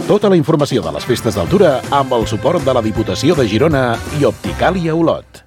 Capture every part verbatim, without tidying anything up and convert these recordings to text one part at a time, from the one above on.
Tota la informació de les festes d'Altura amb el suport de la Diputació de Girona i Opticàlia Olot.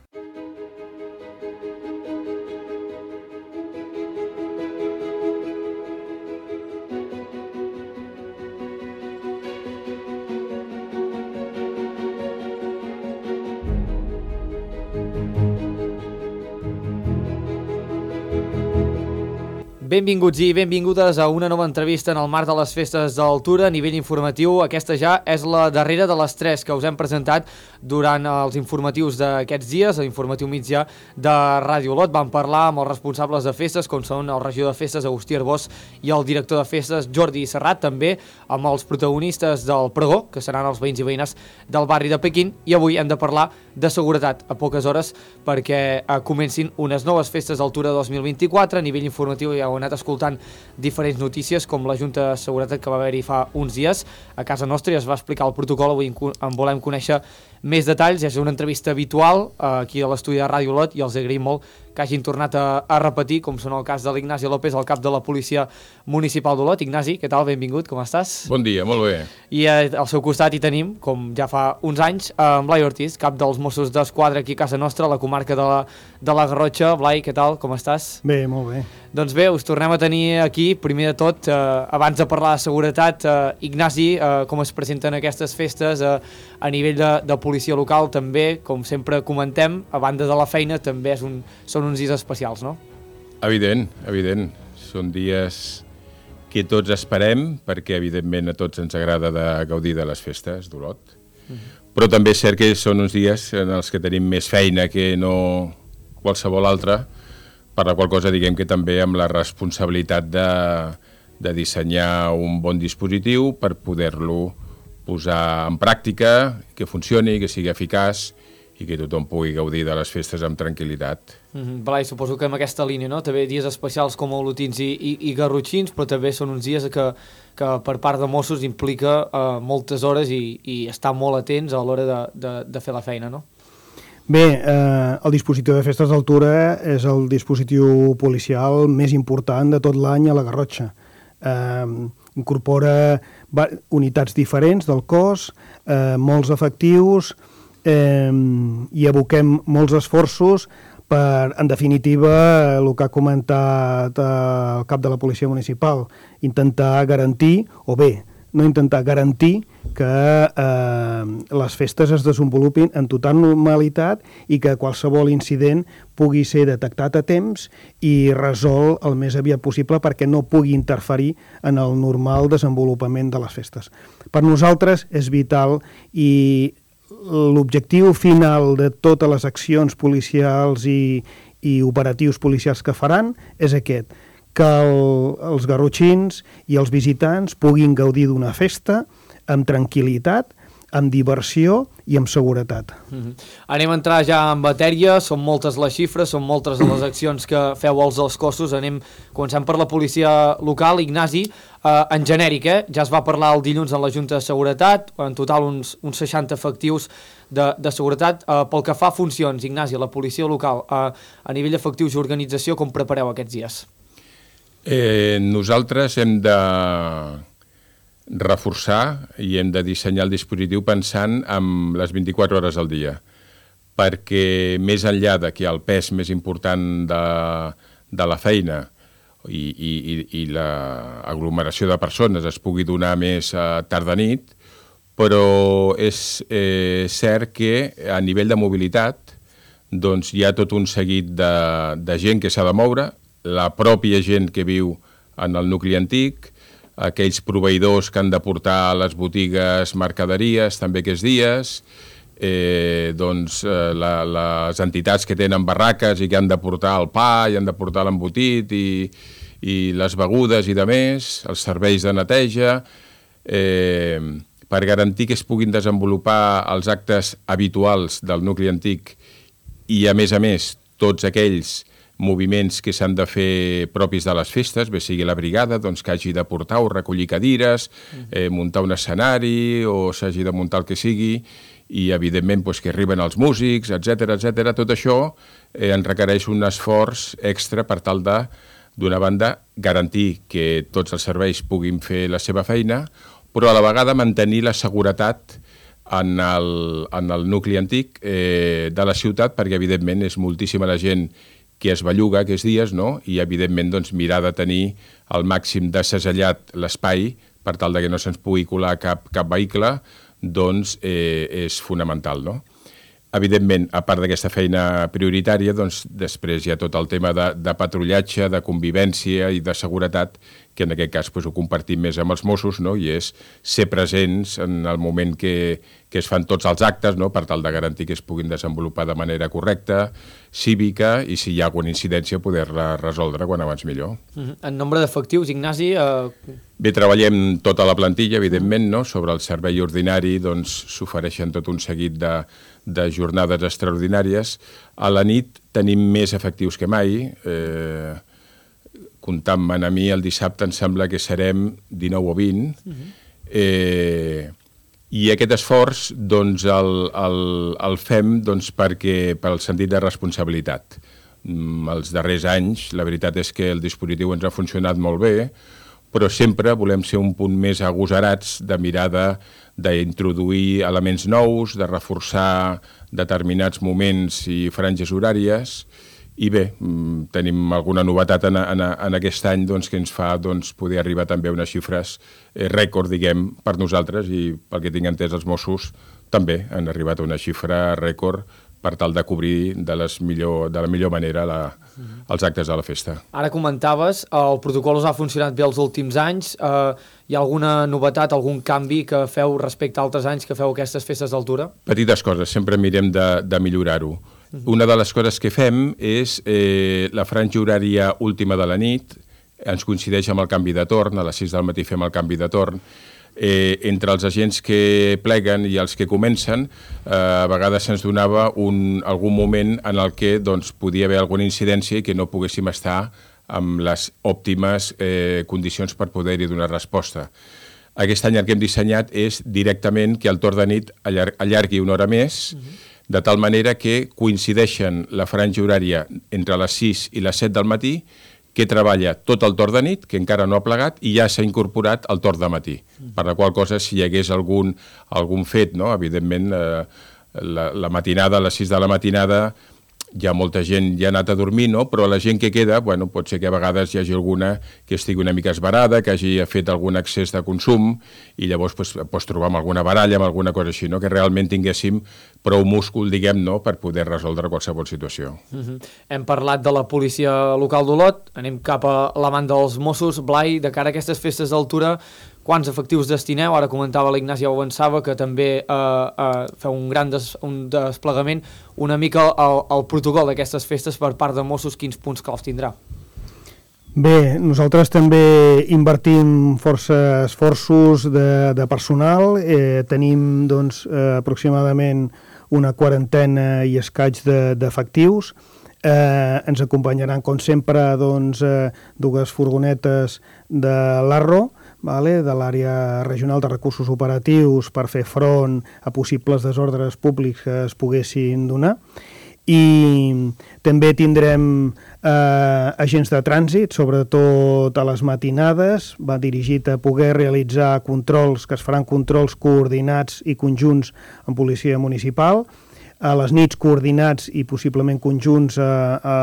Benvinguts i benvingudes a una nova entrevista en el marc de les festes d'Altura a nivell informatiu. Aquesta ja és la darrera de les tres que us hem presentat durant els informatius d'aquests dies, l'informatiu mitjà de Ràdio Olot. Vam parlar amb els responsables de festes, com són el regidor de festes, Agustí Arbós, i el director de festes, Jordi Serrat, també amb els protagonistes del pregó, que seran els veïns i veïnes del barri de Pequín, i avui hem de parlar de seguretat a poques hores perquè eh, comencin unes noves festes d'Altura dos mil vint-i-quatre. A nivell informatiu ja heu anat escoltant diferents notícies, com la Junta de Seguretat que va haver-hi fa uns dies a casa nostra i es va explicar el protocol. Avui en volem conèixer més detalls. És una entrevista habitual eh, aquí a l'estudi de Ràdio Olot i els agraïm molt que hagin tornat a, a repetir, com són el cas de l'Ignasi López, el cap de la Policia Municipal d'Olot. Ignasi, què tal? Benvingut, com estàs? Bon dia, molt bé. I eh, al seu costat hi tenim, com ja fa uns anys, eh, Blai Ortiz, cap dels Mossos d'Esquadra aquí a casa nostra, a la comarca de la, de la Garrotxa. Blai, què tal? Com estàs? Bé, molt bé. Doncs bé, us tornem a tenir aquí. Primer de tot, eh, abans de parlar de seguretat, eh, Ignasi, eh, com es presenten aquestes festes eh, a nivell de, de policia local, també, com sempre comentem, a banda de la feina, també és un, són uns dies especials, no? Evident, evident. Són dies que tots esperem, perquè evidentment a tots ens agrada de gaudir de les festes d'Olot. Mm-hmm. Però també és cert que són uns dies en els que tenim més feina que no qualsevol altra, per la qual cosa diguem que també amb la responsabilitat de, de dissenyar un bon dispositiu per poder-lo posar en pràctica, que funcioni, que sigui eficaç i que tothom pugui gaudir de les festes amb tranquil·litat. Mm-hmm. Blai, suposo que amb aquesta línia, no? També dies especials com olotins i, i, i garrotxins, però també són uns dies que, que per part de Mossos implica uh, moltes hores i, i estar molt atents a l'hora de, de, de fer la feina, no? Bé, eh, el dispositiu de festes d'Altura és el dispositiu policial més important de tot l'any a la Garrotxa. Eh, incorpora unitats diferents del cos, eh, molts efectius, eh, i aboquem molts esforços per, en definitiva, el que ha comentat el cap de la Policia Municipal, intentar garantir, o bé, no intentar garantir que eh, les festes es desenvolupin en total normalitat i que qualsevol incident pugui ser detectat a temps i resolt el més aviat possible perquè no pugui interferir en el normal desenvolupament de les festes. Per nosaltres és vital i l'objectiu final de totes les accions policials i, i operatius policials que faran és aquest, que el, els garrotxins i els visitants puguin gaudir d'una festa amb tranquil·litat, amb diversió i amb seguretat. Mm-hmm. Anem a entrar ja en matèria, són moltes les xifres, són moltes les accions que feu als dels cossos. Anem, començant per la policia local. Ignasi, eh, en genèric, eh? Ja es va parlar el dilluns en la Junta de Seguretat, en total uns, uns seixanta efectius de, de seguretat. Eh, pel que fa a funcions, Ignasi, la policia local, eh, a nivell d'efectius i organització, com prepareu aquests dies? Eh, nosaltres hem de reforçar i hem de dissenyar el dispositiu pensant en les vint-i-quatre hores al dia, perquè més enllà de que el pes més important de, de la feina i, i, i l'aglomeració de persones es pugui donar més a tarda nit, però és eh, cert que a nivell de mobilitat doncs, hi ha tot un seguit de, de gent que s'ha de moure, la pròpia gent que viu en el nucli antic, aquells proveïdors que han de portar a les botigues mercaderies també aquests dies, eh, doncs, eh, la, les entitats que tenen barraques i que han de portar el pa i han de portar l'embotit i, i les begudes i de més, els serveis de neteja, eh, per garantir que es puguin desenvolupar els actes habituals del nucli antic i, a més a més, tots aquells moviments que s'han de fer propis de les festes, bé sigui la brigada, doncs, que hagi de portar o recollir cadires, eh, muntar un escenari o s'hagi de muntar el que sigui, i evidentment doncs, que arriben els músics, etcètera, etcètera. Tot això eh, en requereix un esforç extra per tal de, d'una banda, garantir que tots els serveis puguin fer la seva feina, però a la vegada mantenir la seguretat en el, en el nucli antic eh, de la ciutat, perquè evidentment és moltíssima la gent que es belluga aquests dies, no? I evidentment doncs, mirar de tenir el màxim de segellat l'espai per tal de que no se'ns pugui colar cap, cap vehicle, doncs eh, és fonamental, no? Evidentment, a part d'aquesta feina prioritària, doncs, després hi ha tot el tema de, de patrullatge, de convivència i de seguretat, que en aquest cas doncs, ho compartim més amb els Mossos, no? I és ser presents en el moment que, que es fan tots els actes, no? Per tal de garantir que es puguin desenvolupar de manera correcta, cívica, i si hi ha alguna incidència poder-la resoldre quan abans millor. Uh-huh. En nombre d'efectius, Ignasi... Eh... Bé, treballem tota la plantilla, evidentment, no? Sobre el servei ordinari doncs, s'ofereixen tot un seguit de, de jornades extraordinàries. A la nit tenim més efectius que mai. Eh, comptant-me'n a mi, el dissabte em sembla que serem dinou o vint. Uh-huh. eh, I aquest esforç doncs, el, el, el fem doncs, perquè, pel sentit de responsabilitat. Mm, els darrers anys, la veritat és que el dispositiu ens ha funcionat molt bé, però sempre volem ser un punt més agosarats de mirada d'introduir elements nous, de reforçar determinats moments i franges horàries, i bé, tenim alguna novetat en, en, en aquest any doncs, que ens fa doncs, poder arribar també a unes xifres eh, rècord, diguem, per nosaltres, i pel que tinc entès els Mossos també han arribat a una xifra rècord per tal de cobrir de, les millor, de la millor manera la, els actes de la festa. Ara comentaves, el protocol us ha funcionat bé els últims anys. Eh, hi ha alguna novetat, algun canvi que feu respecte a altres anys que feu aquestes festes d'altura? Petites coses, sempre mirem de, de millorar-ho. Una de les coses que fem és eh, la franja horària última de la nit, ens coincideix amb el canvi de torn, a les sis del matí fem el canvi de torn. Eh, entre els agents que pleguen i els que comencen, eh, a vegades se'ns donava un, algun moment en el que doncs, podia haver alguna incidència i que no poguéssim estar amb les òptimes eh, condicions per poder-hi donar resposta. Aquest any el que hem dissenyat és directament que el torn de nit allar allargui una hora més, uh-huh. de tal manera que coincideixen la franja horària entre les sis i les set del matí, que treballa tot el torn de nit, que encara no ha plegat, i ja s'ha incorporat el torn de matí. Mm. Per la qual cosa, si hi hagués algun, algun fet, no? Evidentment, eh, la, la matinada, a les sis de la matinada, ja molta gent ja ha anat a dormir, no? Però la gent que queda, bueno, pot ser que a vegades hi hagi alguna que estigui una mica esbarada, que hagi fet algun excés de consum, i llavors pues, pots trobar amb alguna baralla, amb alguna cosa així, no? Que realment tinguéssim prou múscul, diguem, no? Per poder resoldre qualsevol situació. Uh-huh. Hem parlat de la policia local d'Olot, anem cap a la banda dels Mossos. Blai, de cara a aquestes festes d'altura, quants efectius destineu? Ara comentava l'Ignasi, ja ho avançava, que també eh, eh, feu un gran des, un desplegament. Una mica el, el protocol d'aquestes festes per part de Mossos, quins punts claus tindrà? Bé, nosaltres també invertim força esforços de, de personal. Eh, tenim doncs, eh, aproximadament una quarantena i escaig d'efectius. De, eh, ens acompanyaran, com sempre, doncs, eh, dues furgonetes de l'Arro, vale, de l'àrea regional de recursos operatius, per fer front a possibles desordres públics que es poguessin donar. I també tindrem eh, agents de trànsit, sobretot a les matinades, va dirigit a poder realitzar controls, que es faran controls coordinats i conjunts amb policia municipal, a les nits coordinats i possiblement conjunts a, a,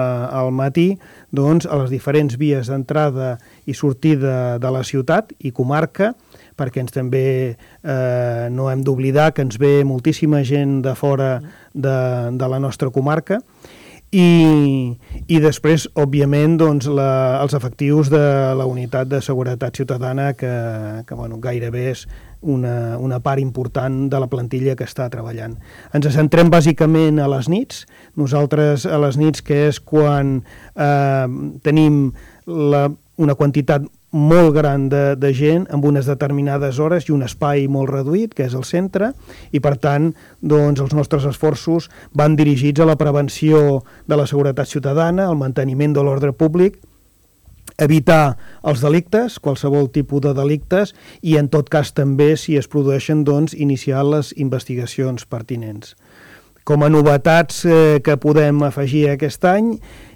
al matí, doncs, a les diferents vies d'entrada i sortida de la ciutat i comarca, perquè ens també eh, no hem d'oblidar que ens ve moltíssima gent de fora de, de la nostra comarca, i, i després, òbviament, doncs, la, els efectius de la unitat de seguretat ciutadana, que, que bueno, gairebé és una, una part important de la plantilla que està treballant. Ens centrem bàsicament a les nits. Nosaltres a les nits, que és quan eh, tenim la, una quantitat molt gran de, de gent amb unes determinades hores i un espai molt reduït, que és el centre, i per tant doncs, els nostres esforços van dirigits a la prevenció de la seguretat ciutadana, al manteniment de l'ordre públic, evitar els delictes, qualsevol tipus de delictes, i en tot cas també, si es produeixen, doncs, iniciar les investigacions pertinents. Com a novetats eh, que podem afegir aquest any,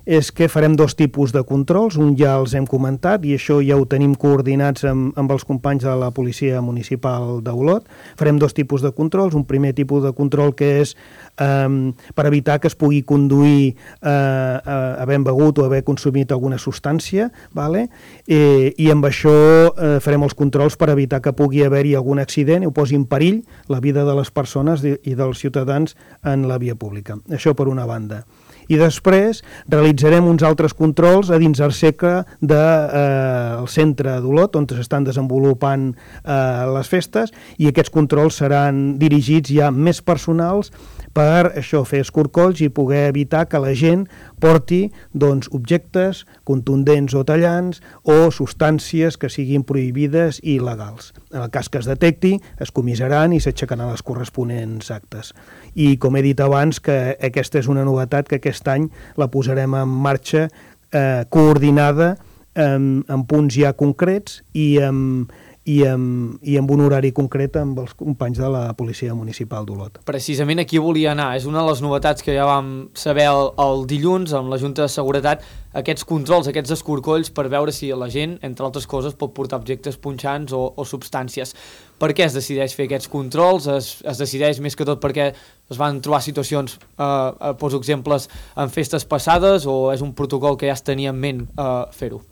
és que farem dos tipus de controls, un ja els hem comentat i això ja ho tenim coordinats amb, amb els companys de la Policia Municipal d'Olot. Farem dos tipus de controls, un primer tipus de control que és eh, per evitar que es pugui conduir eh, havent begut o haver consumit alguna substància, vale? eh, i amb això eh, farem els controls per evitar que pugui haver-hi algun accident i ho posi en perill la vida de les persones i dels ciutadans en la via pública. Això per una banda. I després realitzarem uns altres controls a dins el segle del eh, centre d'Olot, on s'estan desenvolupant eh, les festes, i aquests controls seran dirigits ja més personals per això fer escorcolls i poder evitar que la gent porti doncs, objectes contundents o tallants o substàncies que siguin prohibides i il·legals. En el cas que es detecti, es comissaran i s'aixecaran les corresponents actes. I com he dit abans, que aquesta és una novetat que aquest any la posarem en marxa eh, coordinada amb, amb punts ja concrets i amb, i amb, i amb un horari concret amb els companys de la Policia Municipal d'Olot. Precisament aquí volia anar. És una de les novetats que ja vam saber el, el dilluns amb la Junta de Seguretat, aquests controls, aquests escorcolls per veure si la gent, entre altres coses, pot portar objectes punxants o, o substàncies. Per què es decideix fer aquests controls? Es, es decideix més que tot perquè es van trobar situacions, eh, poso exemples, en festes passades, o és un protocol que ja es tenia en ment eh, fer-ho?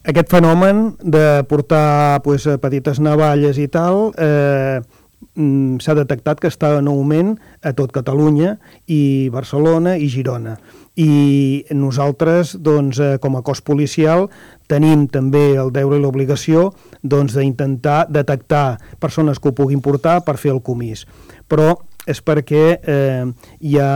Aquest fenomen de portar pues, petites navalles i tal eh, s'ha detectat que està en augment a tot Catalunya i Barcelona i Girona. I nosaltres, doncs, eh, com a cos policial, tenim també el deure i l'obligació doncs, d'intentar detectar persones que ho puguin portar per fer el comís. Però és perquè eh, ja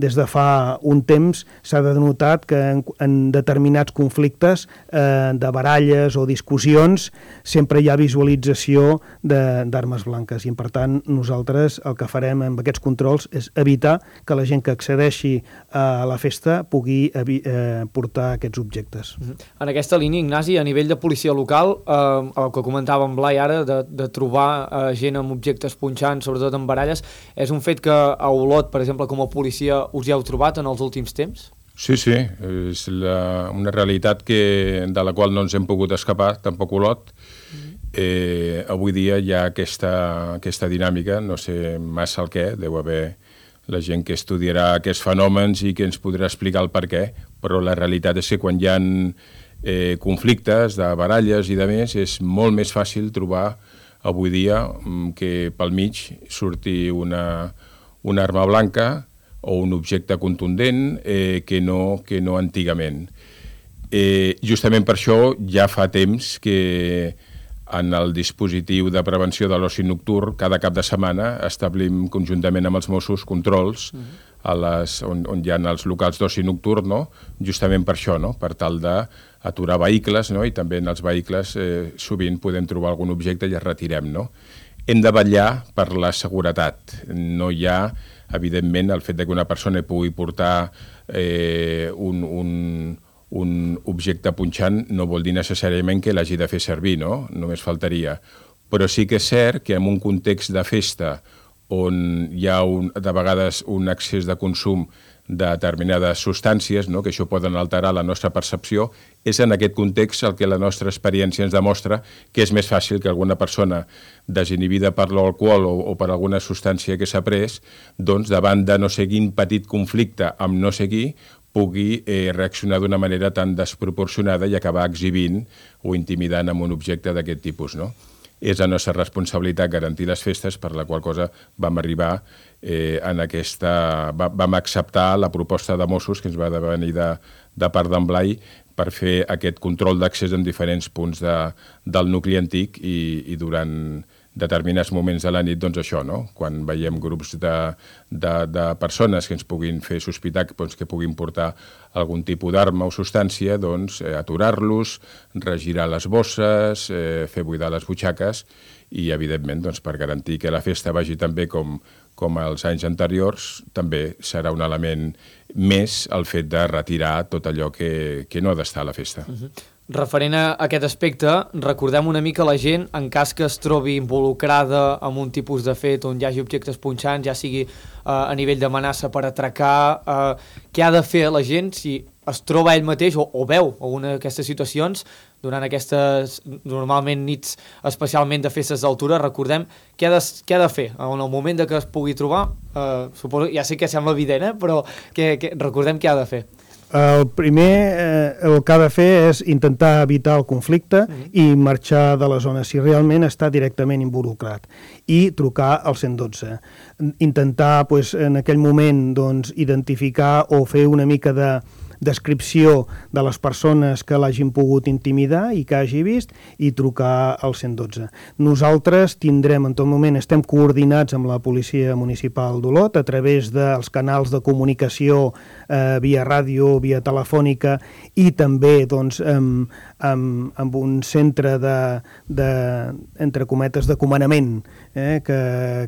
des de fa un temps s'ha denotat que en, en determinats conflictes eh, de baralles o discussions sempre hi ha visualització d'armes blanques i per tant nosaltres el que farem amb aquests controls és evitar que la gent que accedeixi a la festa pugui eh, portar aquests objectes. En aquesta línia, Ignasi, a nivell de policia local, eh, el que comentava en Blai ara, de, de trobar eh, gent amb objectes punxants, sobretot en baralles, és un fet que a Olot, per exemple, com a policia, us hi heu trobat en els últims temps? Sí, sí, és la, una realitat que, de la qual no ens hem pogut escapar, tampoc Olot. Eh, avui dia hi ha aquesta, aquesta dinàmica, no sé massa el què, deu haver la gent que estudiarà aquests fenòmens i que ens podrà explicar el per què, però la realitat és que quan hi ha eh, conflictes de baralles i de més, és molt més fàcil trobar avui dia que pel mig surti una, una arma blanca o un objecte contundent eh, que, no, que no antigament. Eh, justament per això ja fa temps que en el dispositiu de prevenció de l'oci nocturn cada cap de setmana establim conjuntament amb els Mossos controls uh-huh. a les, on, on hi ha els locals d'oci nocturn, no? Justament per això, no? Per tal d'aturar vehicles, no? I també en els vehicles eh, sovint podem trobar algun objecte i es retirem. No? Hem de vetllar per la seguretat. No hi ha, evidentment, el fet que una persona pugui portar eh, un, un, un objecte punxant no vol dir necessàriament que l'hagi de fer servir, no? Només faltaria. Però sí que és cert que en un context de festa on hi ha un, de vegades un excés de consum de determinades substàncies, no? Que això poden alterar la nostra percepció, és en aquest context el que la nostra experiència ens demostra que és més fàcil que alguna persona desinhibida per l'alcohol o, o per alguna substància que s'ha pres, doncs davant de no sé quin petit conflicte amb no sé qui, pugui eh, reaccionar d'una manera tan desproporcionada i acabar exhibint o intimidant amb un objecte d'aquest tipus, no? És la nostra responsabilitat garantir les festes, per la qual cosa vam arribar eh, en aquesta... Va, vam acceptar la proposta de Mossos que ens va venir de, de part d'en Blai per fer aquest control d'accés en diferents punts de, del nucli antic i, i durant determinats moments de la nit, doncs això, no? Quan veiem grups de, de, de persones que ens puguin fer sospitar doncs, que puguin portar algun tipus d'arma o substància, doncs eh, aturar-los, regirar les bosses, eh, fer buidar les butxaques i, evidentment, doncs, per garantir que la festa vagi tan bé com, com els anys anteriors, també serà un element més el fet de retirar tot allò que, que no ha d'estar a la festa. Uh-huh. Referent a aquest aspecte, recordem una mica la gent, en cas que es trobi involucrada en un tipus de fet on hi hagi objectes punxants, ja sigui eh, a nivell d'amenaça per atracar, eh, què ha de fer la gent si es troba ell mateix o, o veu alguna d'aquestes situacions durant aquestes, normalment, nits especialment de festes d'altura. Recordem què ha de, què ha de fer en el moment de que es pugui trobar. Eh, suposo, ja sé que sembla evident, eh, però que, que, recordem què ha de fer. El primer, eh, el que ha de fer és intentar evitar el conflicte mm. i marxar de la zona si realment està directament involucrat i trucar al cent i dotze. Intentar, pues, en aquell moment, doncs, identificar o fer una mica de descripció de les persones que l'hagin pogut intimidar i que hagi vist i trucar al cent i dotze. Nosaltres tindrem, en tot moment, estem coordinats amb la Policia Municipal d'Olot a través dels canals de comunicació eh, via ràdio, via telefònica i també, doncs, amb, amb, amb un centre de, de, entre cometes, de comandament eh, que,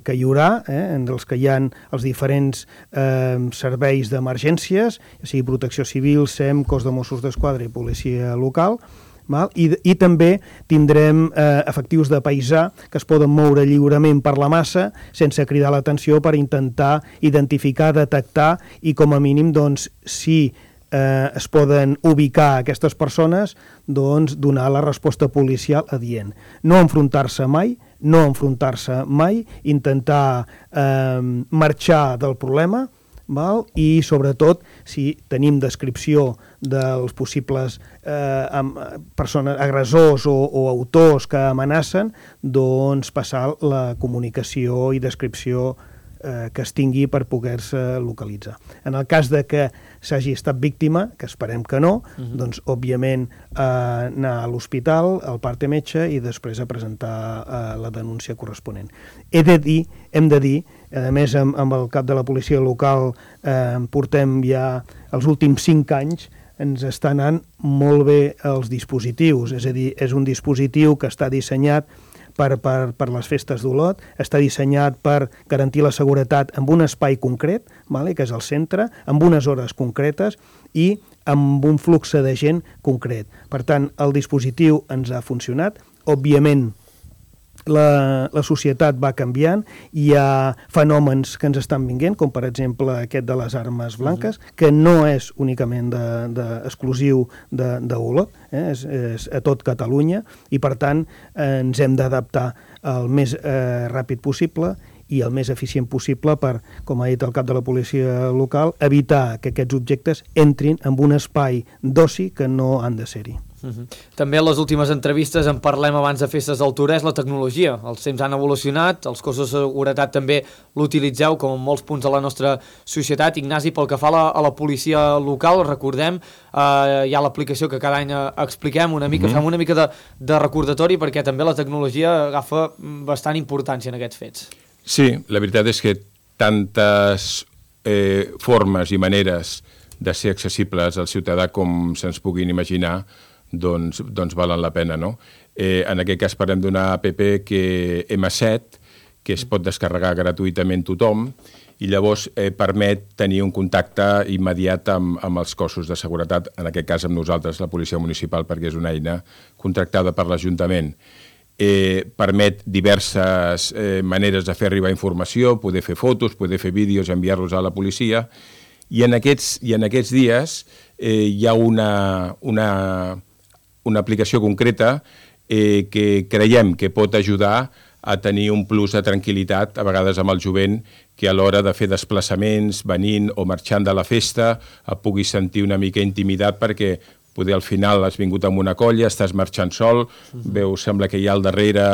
que hi haurà, eh, entre els que hi ha els diferents eh, serveis d'emergències, ja sigui protecció civil, Civil, S E M, Cos de Mossos d'Esquadra i policia local, val? I, i també tindrem eh, efectius de paisà que es poden moure lliurement per la massa sense cridar l'atenció per intentar identificar, detectar i com a mínim, doncs, si eh, es poden ubicar aquestes persones, doncs donar la resposta policial adient. No enfrontar-se mai, no enfrontar-se mai, intentar eh, marxar del problema, val? I sobretot si tenim descripció dels possibles eh, persones, agressors o, o autors que amenacen, doncs passar la comunicació i descripció eh, que es tingui per poder-se localitzar. En el cas de que s'hagi estat víctima, que esperem que no, uh-huh. doncs òbviament eh, anar a l'hospital, al parte metge i després a presentar eh, la denúncia corresponent. He de dir, hem de dir, a més, amb, amb el cap de la policia local eh, portem ja els últims cinc anys, ens està anant molt bé els dispositius, és a dir, és un dispositiu que està dissenyat per, per, per les festes d'Olot, està dissenyat per garantir la seguretat en un espai concret, vale, que és el centre, amb unes hores concretes i amb un flux de gent concret. Per tant, el dispositiu ens ha funcionat, òbviament, La, la societat va canviant, hi ha fenòmens que ens estan vinguent, com per exemple aquest de les armes blanques, uh-huh. que no és únicament de, de, exclusiu d'Olot, eh? és, és a tot Catalunya, i per tant eh, ens hem d'adaptar el més eh, ràpid possible i el més eficient possible per, com ha dit el cap de la policia local, evitar que aquests objectes entrin en un espai d'oci que no han de ser-hi. Uh-huh. També en les últimes entrevistes en parlem abans de festes d'altura, és la tecnologia. Els temps han evolucionat, els cossos de seguretat també l'utilitzeu com en molts punts de la nostra societat. Ignasi, pel que fa a la, a la policia local, recordem, eh, hi ha l'aplicació que cada any expliquem una mica, uh-huh. fem una mica de, de recordatori perquè també la tecnologia agafa bastant importància en aquests fets. Sí, la veritat és que tantes eh, formes i maneres de ser accessibles al ciutadà com se'ns puguin imaginar, doncs, doncs valen la pena, no? Eh, en aquest cas parlem d'una app que ema set, que es pot descarregar gratuïtament tothom, i llavors eh, permet tenir un contacte immediat amb, amb els cossos de seguretat, en aquest cas amb nosaltres, la Policia Municipal, perquè és una eina contractada per l'Ajuntament. Eh, permet diverses eh, maneres de fer arribar informació, poder fer fotos, poder fer vídeos, enviar-los a la policia, i en aquests, i en aquests dies eh, hi ha una, una, una aplicació concreta eh, que creiem que pot ajudar a tenir un plus de tranquil·litat, a vegades amb el jovent, que a l'hora de fer desplaçaments, venint o marxant de la festa, et puguis sentir una mica intimidat perquè poder al final has vingut amb una colla, estàs marxant sol, veus, sembla que hi ha al darrere,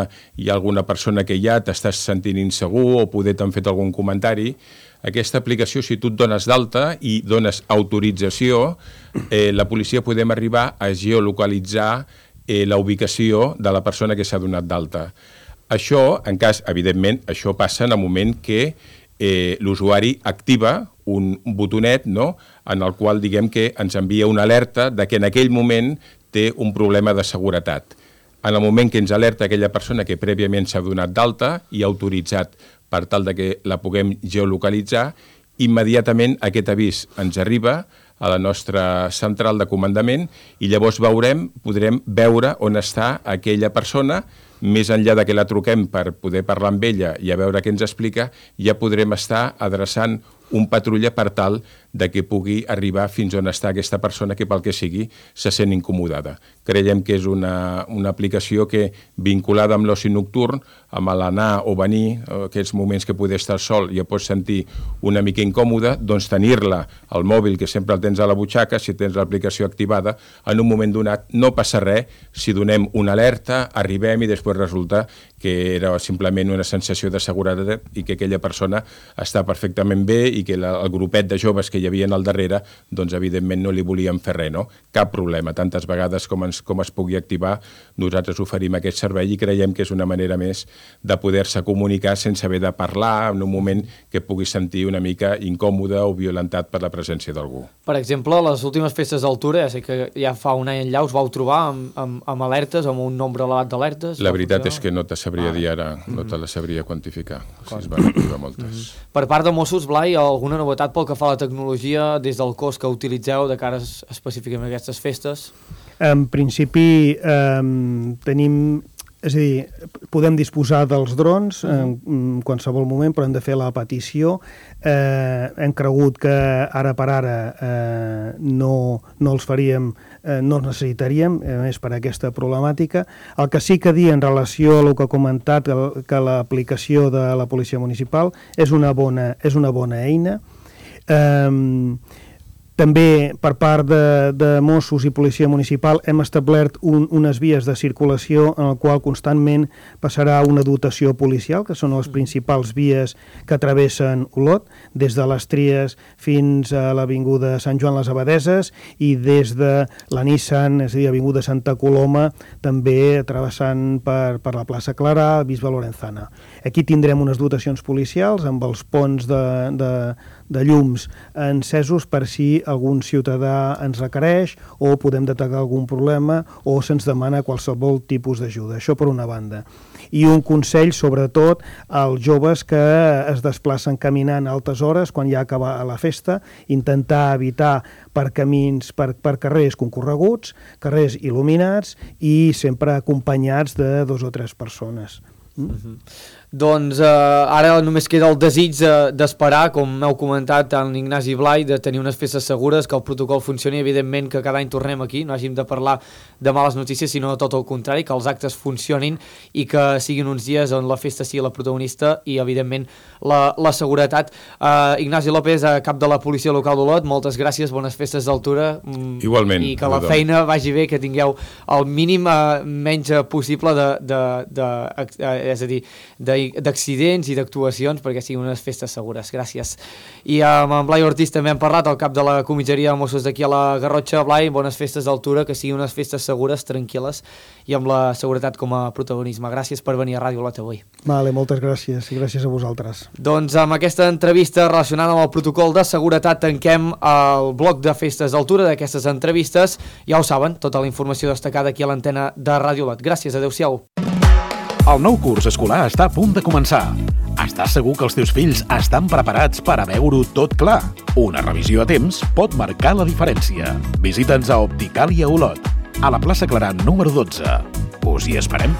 hi ha alguna persona que hi ha, t'estàs sentint insegur o poder t'han fet algun comentari. Aquesta aplicació, si tu et dones d'alta i dones autorització, eh, la policia podem arribar a geolocalitzar eh, la ubicació de la persona que s'ha donat d'alta. Això, en cas, evidentment, això passa en el moment que eh, l'usuari activa un botonet, no?, en el qual diguem que ens envia una alerta de que en aquell moment té un problema de seguretat. En el moment que ens alerta aquella persona que prèviament s'ha donat d'alta i ha autoritzat per tal de que la puguem geolocalitzar, immediatament aquest avís ens arriba a la nostra central de comandament i llavors veurem, podrem veure on està aquella persona. Més enllà de que la truquem per poder parlar amb ella i a veure què ens explica, ja podrem estar adreçant un patrulla per tal de que pugui arribar fins on està aquesta persona que pel que sigui se sent incomodada. Creiem que és una, una aplicació que, vinculada amb l'oci nocturn, amb l'anar o venir, aquests moments que poder estar sol i ja pots sentir una mica incòmode, doncs tenir-la al mòbil, que sempre el tens a la butxaca, si tens l'aplicació activada, en un moment donat no passa res si donem una alerta, arribem i després resulta que era simplement una sensació de seguretat i que aquella persona està perfectament bé i que la, el grupet de joves que hi havia al darrere, doncs evidentment no li volíem fer res, no? Cap problema. Tantes vegades com, ens, com es pugui activar, nosaltres oferim aquest servei i creiem que és una manera més de poder-se comunicar sense haver de parlar en un moment que pugui sentir una mica incòmode o violentat per la presència d'algú. Per exemple, les últimes festes d'altura, ja sé que ja fa un any enllà us vau trobar amb, amb, amb alertes, amb un nombre elevat d'alertes? La veritat és que no te sabria ah. dir ara, no te la sabria quantificar. Si es van activar moltes. Mm-hmm. Per part de Mossos, Blai, alguna novetat pel que fa a la tecnologia des del cos que utilitzeu de cara específicament a aquestes festes? En principi eh, tenim, és a dir, podem disposar dels drons en, en qualsevol moment, però hem de fer la petició. Eh, hem cregut que ara per ara eh, no, no els faríem, eh, no els necessitaríem, a més per aquesta problemàtica. El que sí que dir en relació a el que ha comentat, que, que l'aplicació de la Policia Municipal és una bona, és una bona eina. Um, també per part de, de Mossos i Policia Municipal hem establert un, unes vies de circulació en el qual constantment passarà una dotació policial, que són les principals vies que travessen Olot, des de les Tries fins a l'avinguda Sant Joan les Abadeses i des de la Nissan, és a dir, avinguda Santa Coloma, també travessant per, per la plaça Clarà, Bisbe Lorenzana. Aquí tindrem unes dotacions policials amb els ponts de, de, de llums encesos per si algun ciutadà ens requereix o podem detectar algun problema o se'ns demana qualsevol tipus d'ajuda. Això per una banda. I un consell, sobretot, als joves que es desplacen caminant a altes hores quan ja acaba la festa, intentar evitar per camins, per, per carrers concorreguts, carrers il·luminats i sempre acompanyats de dos o tres persones. Mm? Mm-hmm. Doncs eh, ara només queda el desig eh, d'esperar, com m'heu comentat tant Ignasi i Blai, de tenir unes festes segures, que el protocol funcioni, evidentment que cada any tornem aquí, no hàgim de parlar de males notícies, sinó tot el contrari, que els actes funcionin i que siguin uns dies on la festa sigui la protagonista i evidentment la, la seguretat. Eh, Ignasi López, eh, cap de la Policia Local d'Olot, moltes gràcies, bones festes d'altura. Mm, Igualment. I que la feina vagi bé, que tingueu el mínim eh, menys possible de, de, de, eh, és a dir, de d'accidents i d'actuacions perquè siguin unes festes segures. Gràcies. I amb en Blai Ortiz també hem parlat, el cap de la comissaria de Mossos d'aquí a la Garrotxa. Blai, bones festes d'altura, que siguin unes festes segures, tranquil·les i amb la seguretat com a protagonisme. Gràcies per venir a Ràdio Olot avui. Vale, moltes gràcies i gràcies a vosaltres. Doncs amb aquesta entrevista relacionada amb el protocol de seguretat tanquem el bloc de festes d'altura d'aquestes entrevistes. Ja ho saben, tota la informació destacada aquí a l'antena de Ràdio Olot. Gràcies, adeu-siau. El nou curs escolar està a punt de començar. Estàs segur que els teus fills estan preparats per a veure-ho tot clar? Una revisió a temps pot marcar la diferència. Visita'ns a Opticàlia Olot, a la plaça Clarà número dotze. Us hi esperem.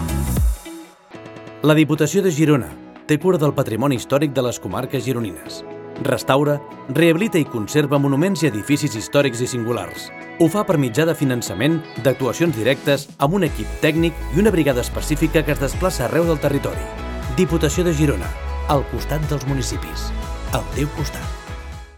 La Diputació de Girona té cura del patrimoni històric de les comarques gironines. Restaura, rehabilita i conserva monuments i edificis històrics i singulars. Ho fa per mitjà de finançament, d'actuacions directes, amb un equip tècnic i una brigada específica que es desplaça arreu del territori. Diputació de Girona, al costat dels municipis. Al teu costat.